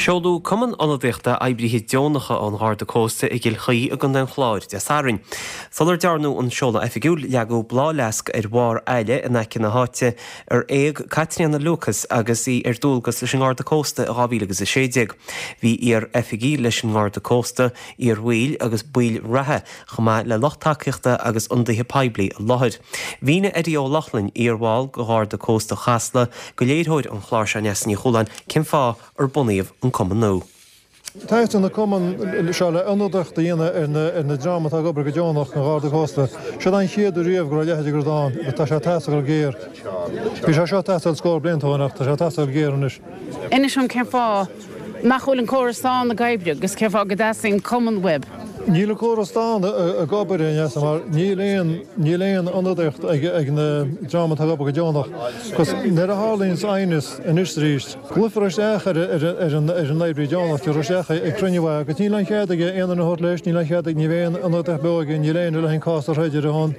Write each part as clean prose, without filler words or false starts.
Seoladh Cumann Ionadaíochta Oibrithe Deonacha an Gharda Cósta i gCill Chaoi i gContae an Chláir Dé Sathairn. Sular dearnadh an seoladh oifigiúil, leagadh bláthfhleasc ar bharr aille in aice na háite ar éag Caitríona Lucas agus í ar dualgas leis an nGarda Cósta i 2016. Bhí iar-oifigigh leis an nGarda Cósta, iar-bhaill agus baill reatha, chomh maith le lucht tacaíochta agus ionadaithe poiblí i láthair. Mhínigh Eddie Ó Lochlainn, iar-bhall de Gharda Cósta Chasla, do léiritheoir an chláir seo Neasa Ní Chualáin cén fáth ar bunaíodh an cumann nua. Teastaíonn an cumann seo le ionadaíocht a dhéanamh ar na dream atá ag obair go deonach don Gharda Cósta. Seo an chéad uair riamh go raibh a leithéid de rud ann agus tá sé ag teastáil go géar. Bhí sé seo ag teastáil scór blianta ó shin ach tá sé ag teastáil go géar anois. Inis dom cén fáth nach bhfuil an córas ann ag oibriú agus cén fáth go dteastaíonn cumann uaibh? Níl an córas ann ag obair, a Neasa, mar níl aon, níl aon ionadaíocht ag, ag na dream atá ag obair go deonach. Agus nuair a tharlaíonns aighneas anois is arís, glaofar isteach ar, ar, ar an, ar an oibrí deonach, tabharfar isteach ag cruinniú é agus níl aon chead aige aon duine a thabhairt leis, níl aon chead aige, ní bheidh aon ionadaíocht beo aige, níl éinne le an cás a throid ar a shon.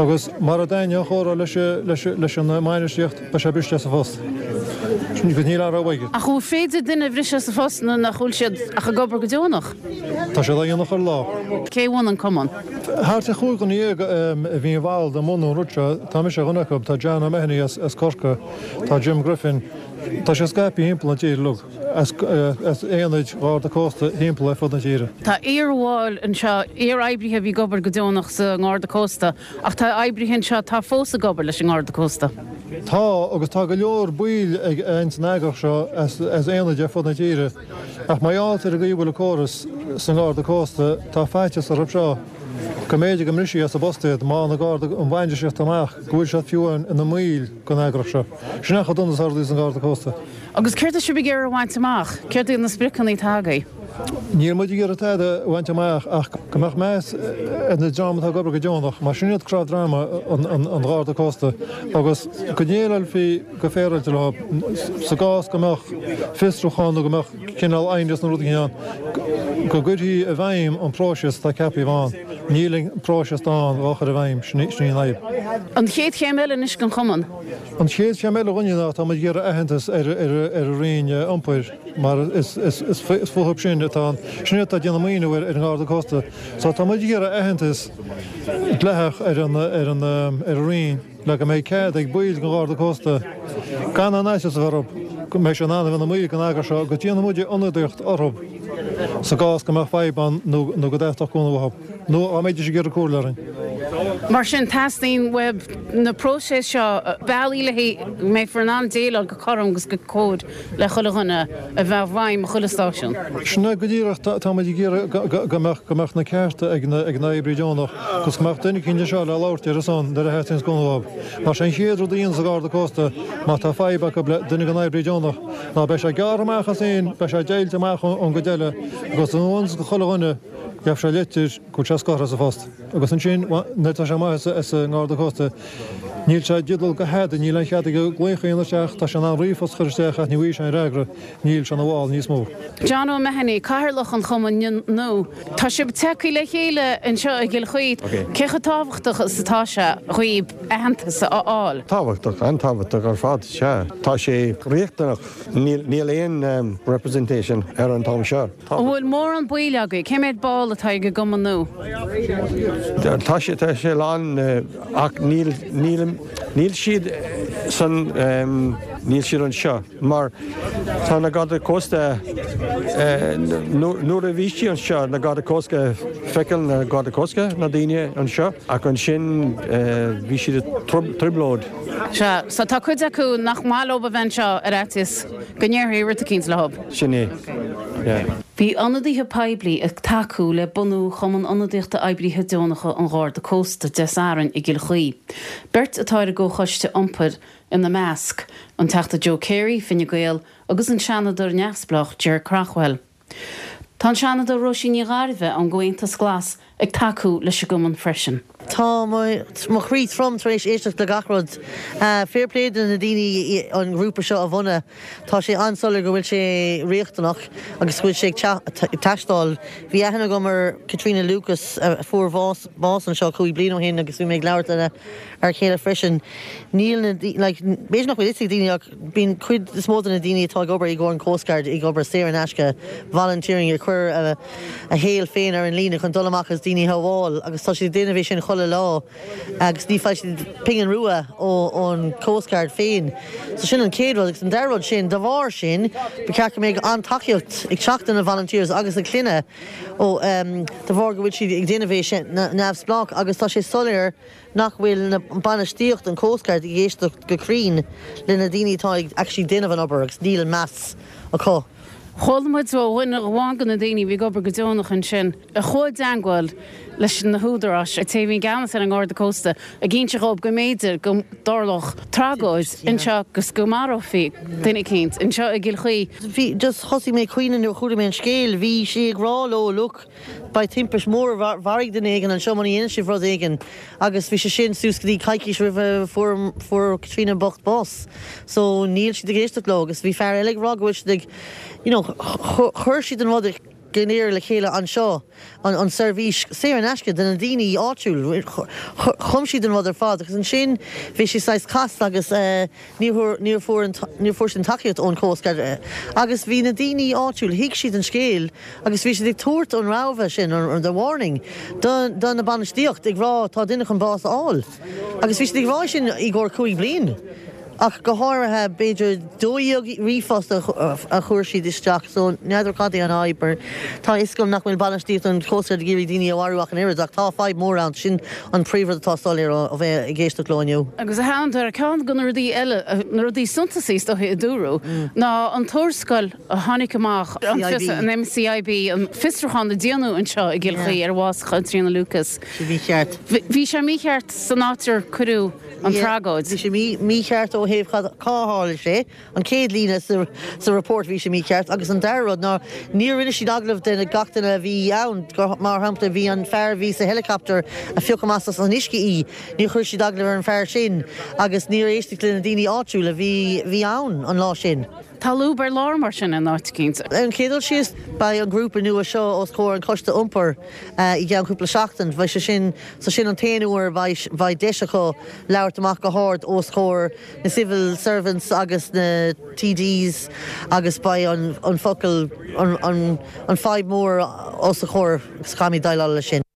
Agus mara dtaitneoidh an chomhrá leis, leis, leis an mbainistíocht, Beidh sé briste as a phost. Agus níl aon rogha aige. Ach an féidir duine a bhriseadh as a phost nuair nach bhfuil siad ach ag obair go deonach? Tá siad á dhéanamh chuile lá. Cé a bhunaigh an cumann? Thart ar chúig dhuine a bhí involved i mbunú an rud seo. Tá mise ar dhuine acu, tá John O'Mahony as Corcaigh, tá Jim Griffin. Tá sé scaipthe thimpeall na tíre uilig, as aonaid Gharda Cósta thimpeall ar fud na tíre. Tá iar-bhaill anseo, iar-oibrithe a bhí ag obair go deonach sa nGarda Cósta Ach tá oibrithe anseo atá fós ag obair leis an nGarda Cósta. Tá, agus tá go leor baill ag ins an eagraíocht seo as aonaid ar fud na tíre. Ach mar gheall ar an gcaoi a bhfuil an córas sa nGarda Cósta, tá faitíos orthu seo go mb'fhéidir go mbrisfí as a bpost iad má fhaigheann an Garda, an bhainistíocht amach go bhfuil siad fiú ina mbaill den eagraíocht seo. Sin é chomh dona is atá rudaí sa nGarda Cósta. Agus céard tá sibh ag iarraidh a bhaint amach? Céard iad na spriocanna atá agaibh? Níl muid ag iarraidh tada a bhaint amach ach go mbeadh meas ar na dream atá ag obair go deonach, mar sin iad cnámh droma an Gharda Cósta, agus go ndéileálfaí go féaráilte leo sa gcás go mbeadh fiosrúchán nó go mbeadh cineál aighneas nó rud éigin ann, go gcuirfí i bhfeidhm an próiseas atá ceaptha a bheith ann. Níl an próiseas ann dhá chur i bhfeidhm, sin í an fhadhb. An chéad chéim eile anois don chumann? An chéad chéim eile dhúinne ná tá muid ag iarraidh aitheantas ar an Roinn Iompair mar is fúthu sin atá an, sin iad atá ag déanamh maoiniú ar an nGarda Cósta. So tá muid ag iarraidh aitheantas dleathach ar an ar an ar an Roinn le go mbeidh cead ag baill den Gharda Cósta gan aon fhaitíos a bheith orthu go mbeidh siad in ann a bheith ina mbaill den eagras seo agus déanfaidh muid ionadaíocht orthu sa gcás go mbeadh fadhb ann nó go dteastódh cúnamh uathu. Nó dá mbeidís ag iarraidh comhairle orainn. Mar sin, teastaíonn uaibh na próiseas seo, bealaí le go mbeifear in ann déileáil go cothrom agus go cóir le chuile dhuine a bheith i bhfeidhm i chuile stáisiún. Sin é go díreach, tá muid ag iarraidh go mbeadh go mbeadh na cearta ag na ag na oibrithe deonach agus go mbeadh duine eicínt anseo le labhairt ar a son nuair a theastaíonns cúnamh uathu. Mar sé an chéad rud a dhéanfas an Garda Cósta má tá fadhb acu le duine den oibrí deonach ná beidh sé gearrtha amach as féin, beidh sé deighilte amach ón gcuid eile agus anuas go chuile dhuine Gheobhaidh sé litir go bhfuil sé scortha as a phost. Agus ansin, nuair atá sé amuigh as an nGarda Cósta, níl sé i dteideal do thada, níl aon chead aige glaoch a dhéanamh isteach, tá sé in ann ríomhphost a chur isteach ach ní bhfaighidh sé aon fhreagra, níl sé ina bhall níos mó. John O'Mahony, Cathaoirleach an Chumainn nua. Tá sibh tagtha le chéile anseo i gCill Chaoi. Cé chomh tábhachtach is atá sé dhaoibh aitheantas a fháil? Tábhachtach, an-tábhachtach ar fad, sea. Tá sé riachtanach. Níl aon representation ar an t-am seo. An bhfuil mórán baill agaibh? Cé mhéad ball atá ag an gcumann nua? Tá sé, tá sé lán ach níl, níl, níl siad san, níl siad anseo mar tá na Garda Cósta, nuair a bhí siad anseo, na Garda Cósta, feiceáil na Garda Cósta, na daoine anseo ach ansin bhí siad i trioblóid. Sea, so tá cuid acu nach maith leo a bheith anseo ar fhaitíos go ndéarfaí rud eicínt leo. Sin é, yeah. Bhí ionadaithe poiblí ag tacú le bunú Chumann Ionadaíochta Oibrithe Deonacha an Gharda Cósta Dé Sathairn i gCill Chaoi. Beirt atá ar an gComhchoiste Iompair ina measc, an Teachta Joe Carey, Fine Gael, agus an Seanadóir neamhspleách Ger Craughwell. Tá an Seanadóir Róisín Ní Ghairbhith ón gComhaontas Glas ag tacú leis an gcumann freisin. Tá mo chroí trom tar éis éisteacht le gach rud. Fair play do na daoine an grúpa seo a bhunadh. Tá sé an-soiléir go bhfuil sé riachtanach agus go bhfuil sé ag teastáil. Bhí aithne agam ar Caitríona Lucas a fuair bás anseo 5 bliain ó shin agus bhí mé ag labhairt lena fhear céile freisin. Níl na, like, b'fhéidir nach bhfuil fhios ag daoine ach bíonn cuid is mó de na daoine atá ag obair i gcomhair an Coast Guard ag obair saor in aisce, volunteering, ag cur a shaol féin ar an líne chun dul amach agus daoine a shábháil agus tá siad ag déanamh é sin chuile lá agus ní fhaigheann siad pingin rua ón Coast Guard féin. So sin an chéad rud agus an dara rud sin, de bharr sin, ba cheart go mbeadh an-tacaíocht ag teacht do na volunteers agus a gclanna ó de bharr go bhfuil siad ag déanamh é sin neamhspleách agus tá sé soiléir nach bhfuil na bainistíocht an Coast Guard ag éisteacht go cruinn le na daoine atá ag actually déanamh an obair agus níl meas acu. Chuala muid ó dhuine amháin de na daoine a bhí ag obair go deonach ansin a chuaigh i dteangmháil leis na húdaráis, an té a bhí i gceannas ar an nGarda Cósta, ag inse dhóibh go mb'fhéidir go dtarlódh tragóid anseo agus go marófaí duine eicínt anseo i gCill Chaoi. Bhí, just thosaigh mé ag caoineadh nuair a chuala mé an scéal. Bhí sé ag rá leo, look, beidh timpist mhór, mharaigh duine éigin anseo muna dhéanann sibh rud éigin agus bhí sé sin suas go dtí coicís roimh a fuair fuair Caitríona bocht bás. So níl siad ag éisteacht leo agus bhí fear eile ag rá go bhfuil siad ag you know chuir siad an rud go léir le chéile anseo, an an seirbhís saor in aisce do na daoine áitiúil, chum siad an rud ar fad agus ansin bhí sé saghas casta agus eh Níor níor fuair an níor fuair siad an tacaíocht ón Coast Guard agus bhí na daoine áitiúil, thuig siad an scéal agus bhí siad ag tabhairt an rabhadh sin, an the warning, do do na bainistíocht ag rá tá duine chun bás a fháil. Agus bhí siad ag rá sin i gcomhair 5 bliain ach go háirithe b'fhéidir 12 ríomhphost a chuir siad isteach so n'fheadar cad é an fhadhb mar tá a fhios agam nach bhfuil bainistíocht an Coast Guard ag iarraidh daoine a mharú ach an oiread ach tá fadhb mór ann sin an príomhrud atá soiléir ó bheith ag éisteacht leo inniu. Agus a Shándair, ceann de na rudaí eile, na rudaí suntasaí is dóiche a dúradh, ná an tuarascáil a tháinig amach, an fios, an MCIB, an fiosrúchán a déanadh anseo i gCill Chaoi ar bhás Chaitríona Lucas. Bhí sé mícheart. Bhí sé mícheart san áit ar cuireadh an tragóid. Bhí sé mícheart ó thaobh cad, cá tharla sé. An chéad líne sa report bhí sé mícheart agus an dara rud ná níor rinne siad agallamh de gach duine a bhí ann, mar shampla bhí an fear a bhí sa helicopter a phioc amach as an uisce í, níor chuir siad agallamh ar an fear sin agus níor éisteadh le na daoine áitiúil a bhí bhí ann an lá sin. Tá lúb ar lár mar sin in áit eicínt. Ar an chéad dul síos, beidh an grúpa nua seo os comhair an choiste iompair i gceann cúpla seachtain. Beidh sé sin, so sin an t-aon uair a bheidh deis acu labhairt amach go hard os comhair na civil servants agus na TDs agus beidh an focal, an fadhb mór os a chomhair agus caithfimid déileáil leis sin.